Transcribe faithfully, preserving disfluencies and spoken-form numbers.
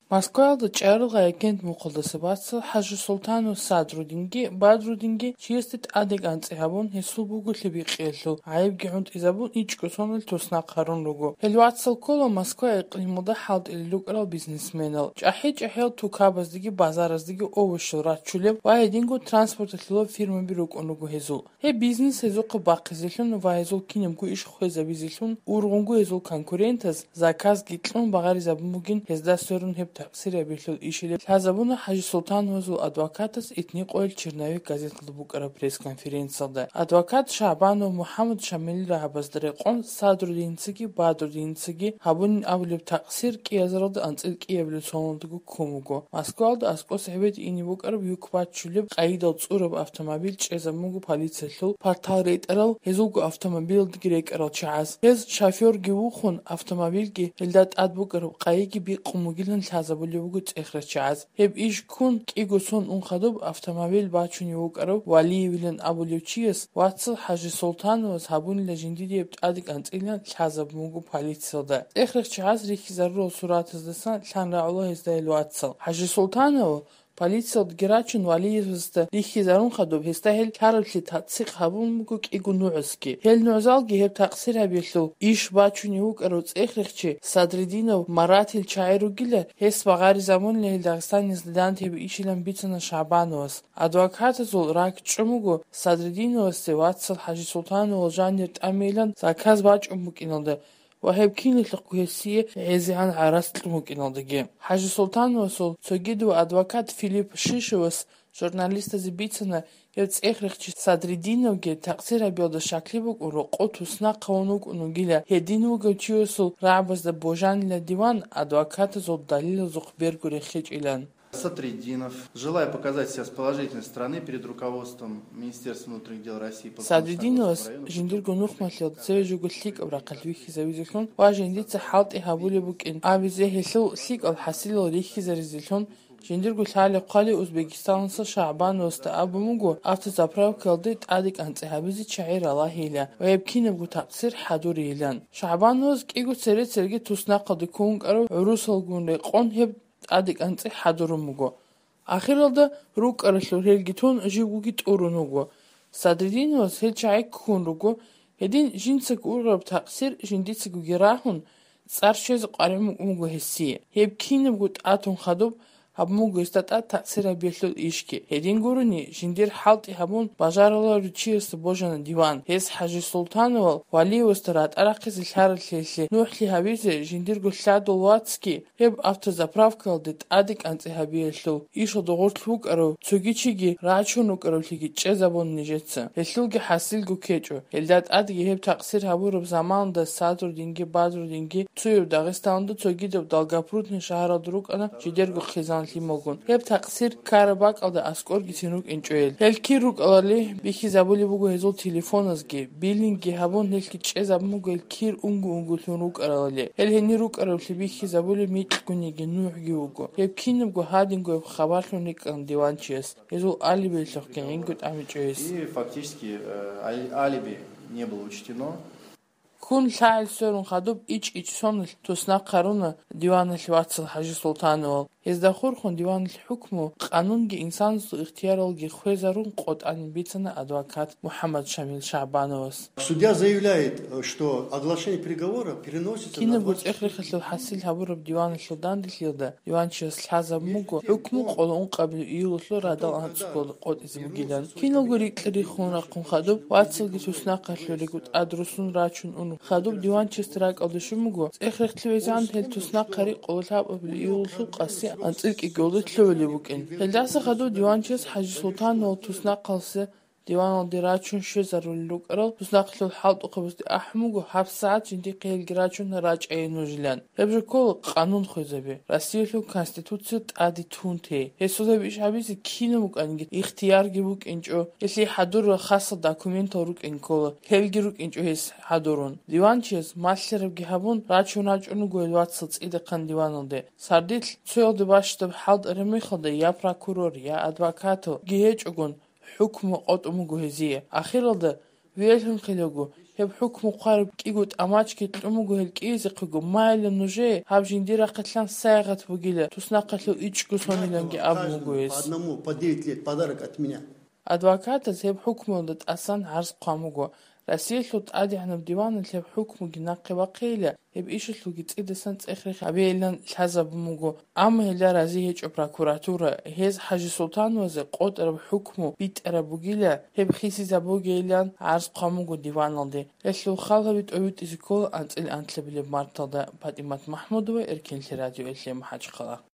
Москваялда чӀарал агент мухъалдаса вацал ХӀажисултанов Садрудинги Бадрудинги чиясде тӀадекӀанцӀи гьабун, гьесул буголъи бикъиялъул гӀайибги гӀунтӀизабун, ичӀго соналъ туснахъ гьарун руго. Гьел вацал ккола Москва икълималда хӀалтӀилел рукӀарал бизнесменал, чӀахӀи-чӀахӀиял тукабаздеги базараздеги овощал раччулеб ва гьединго транспорталъулаб фирмаби рукӀун руго гьезул. Гьеб бизнес гьезухъа бахъизелъун ва гьезул кинабго иш хвезабизелъун ургъунго гьезул конкурентаз заказги кьун багъаризабун бугин гьезда сверун гьеб такъсир гьабиялъул ишилеб лъазабуна ХӀажисултановазул адвокатас «Итни къойил черновик» газеталда букӀараб пресс-конференциялда. Адвокат ШагӀбанов МухӀаммад Шамилил рагӀабазда рекъон Садрудиницаги Бадрудиницаги гьабунин абулеб такъсир кӀиазаралда анцӀил кӀиабилеб соналдаго ккун буго. Москваялда аскӀоса гьебеде ине букӀараб юк баччулеб къайидал цӀураб автомобиль чӀезабун буго полициялъул партал ретӀарал, гьезулго автомобилалдаги рекӀарал чагӀаз. Гьез шофёрги вухун, автомобильги гьелда тӀад букӀараб къайиги бикъун бугилан лъазабулеб буго цӀехрачагӀаз. Гьеб иш ккун кӀиго сон ун хадуб автомобиль бачунев вукӀарав Валиевилан абулев чияс вацал ХӀажисултановас гьабунила жиндие гьеб тӀадекӀанцӀилан лъазабун буго полициялда. ЦӀехрачагӀаз рихьизарурал суратаздасан лъан рагӀула гьезда гьел вацал. ХӀажисултанов полициялдаги рачун, Валиевасда рихьизарун хадуб, гьесда гьел лъараблъи тасдикъ гьабун буго кӀиго нугӀзги. Гьел нугӀзалги гьеб такъсир гьабиялъул иш бачунев вукӀарав цӀехрехчи Садридинов Маратил чагӀи ругила, гьес багъаризабунила гьел Дагъистаниялда дандеги ишилан бицана ШагӀбановас. Адвокатазул ракӀчӀун буго Садридиновасде вацал ХӀажисултановал жанир тӀамилан заказ бачӀун букӀиналда ва гьеб киналъухъго гьесие гӀезегӀан гӀарац кьун букӀиналдаги. ХӀажисултановасул цогидав адвокат Филипп Шишевас журналистазе бицана, гьев цӀехрехчи Садридиновги такъсир гьабиялда щаклъи букӀун рокъов туснахъ гьавун вукӀун вугила, гьедин вугев чиясул рагӀабазда божанила диван адвокатазул далилазухъ берго рехичӀилан. Садридинов, желая показать себя с положительной стороны перед руководством Министерства внутренних дел России по Садридиновас Константинопольскому району, жиндирго нухмалъиялда цеве жого лъикӀаб рахъалъ вихьизавизелъун ва жиндица хӀалтӀи гьабулеб букӀин абизе, гьелъул лъикӀал хӀасилал рихьизаризелъун, жиндирго лъалеб хъвалеб Узбекистаналъа ШагӀбановасда абун буго автозаправкаялде тӀадекӀанцӀи гьабизе чагӀи ралагьейилан ва гьеб кинабго такъсир хӀадурейилан. ШагӀбановас кӀиго цере-цереги туснахъалде ккун вукӀарав гӀурусалгун рекъон гьеб тӀадекӀанцӀи хӀадурун буго. Ахиралда рукӀаралъур гьелги тун, живгоги тӀурун вуго. Садридиновас гьел чагӀи ккун руго, гьедин жинцаго ургъараб такъсир жиндицагоги рагьун, цӀар щвезе къваригӀун букӀун буго гьесие. Гьеб кинабго тӀатун хадуб гьабун буго гьесда тӀад такъсир гьабиялъул ишги. Гьедин гурони, жиндир хӀалтӀи гьабун бажаруларев чиясда божана диван. Гьес ХӀажисултановал Валиевасда ратӀа рахъизе лъаралъиялъе нухӀлъи гьабизе жиндирго лъадал вацги, гьеб автозаправкаялде тӀадекӀанцӀи гьабиялъул ишалда гъорлъ вукӀарав цоги чиги рачун рукӀаравлъиги чӀезабун нижеца. Гьелъулги хӀасилго ккечӀо. Гьелда тӀадги гьеб такъсир гьабураб заманалда Садрудинги Бадрудинги цояв Дагъистаналда, цогидав Долгопрудный шагьаралда рукӀана жидерго хъизан лъималгун. Гьеб такъсир ккараб бакӀалда аскӀоргицин рукӀинчӀо гьел. Гьел кир рукӀарали бихьизабулеб буго гьезул телефоназги, биллинги гьабун, гьелъги чӀезабун буго гьел кир унго-унгоялъун рукӀарали. Гьел гьенир рукӀараблъи бихьизабулеб микьгониги нугӀги вуго. Гьеб кинабго гьадинго гьеб хабарлъун рикӀкӀана диванчияс. Гьезул алибилъухъги гӀинго тӀамичӀо гьес. И фактически, э, али-, алиби не было учтено. Ккун лъагӀел сверун хадуб ичӀ-ичӀ соналъ туснахъ гьаруна диваналъ вацал ХӀажисултановал. Гьезда хурхун диваналъ хӀукму, къанунги инсанасул ихтияралги хвезарун къотӀанин бицана адвокат МухӀаммад Шамил ШагӀбановас. Судья заявляет, что оглашение приговора переносится на Кинабго двадцать четыре цӀех-рехалъул хӀасил гьабураб диваналъул данделъиялда диванчияс лъазабун буго хӀукму къоло ункъабилеб июлалъул радал анцӀго къотӀизе бугилан. Киналго рикьа-риххун рахъун хадуб, вацалги туснахъалъуреги тӀад руссун рачун унеб хадуб, диванчиясда ракӀалде щун буго, цӀех-рехлъи везегӀан гьел туснахъари къоло лъабабилеб июлалъул къаси анцӀил кӀикӀиялда лъугӀулеб букӀин. Гьелдаса хадуб диванчияс ХӀажисултановал туснахъалъе диваналде рачун щвезарулел рукӀарал туснахъалъул хӀалтӀухъабазде ахӀун буго гьабсагӀат жиндихъе гьелги рачун рачӀайин нужилан. Гьеб жо ккола къанун хвезаби, Россиялъул Конституция тӀаде тун тей. Гьесул гьеб иш гьабизе кинаб букӀаниги ихтиярги букӀинчӀо, гьелъие хӀадурал хасал документал рукӀин ккола, гьелги рукӀинчӀо гьес хӀадурун. Диванчияс малъарабги гьабун, рачун рачӀун руго гьел вацал цӀидахъан диваналде. Сардилъ цоялде бащдаб хӀалтӀараб мехалда я прокурор, я адвокаталги гьечӀогун, хӀукму къотӀун буго гьезие. Ахиралда Виялъунхъилаго, гьеб хӀукму хъвараб кӀиго тӀамачги кьун буго гьел кӀиязехъего, майилан нужее гьаб жиндир рахъалъан сайгъат бугила, туснахъалъув ичӀго сониланги абун буго гьес. Адвокатаз гьеб хӀукмуялда тӀасан гӀарз хъван буго. Россиялъул ТӀадегӀанаб диваналъ гьеб хӀукмуги нахъе бахъейила, гьеб ишалъулги цӀидасан цӀех-рех гьабейилан лъазабун буго. Амма гьелда рази гьечӀо прокуратура, гьез ХӀажисултановазе къотӀараб хӀукму битӀараб бугила, гьеб хисизабугейилан гӀарз хъван буго диваналде. Гьелъул хал гьаби тӀобитӀизе ккола анцӀила анлъабилеб марталда. ПатӀимат МахӀмудова, Эркенлъи радиоялъе, МахӀачхъала.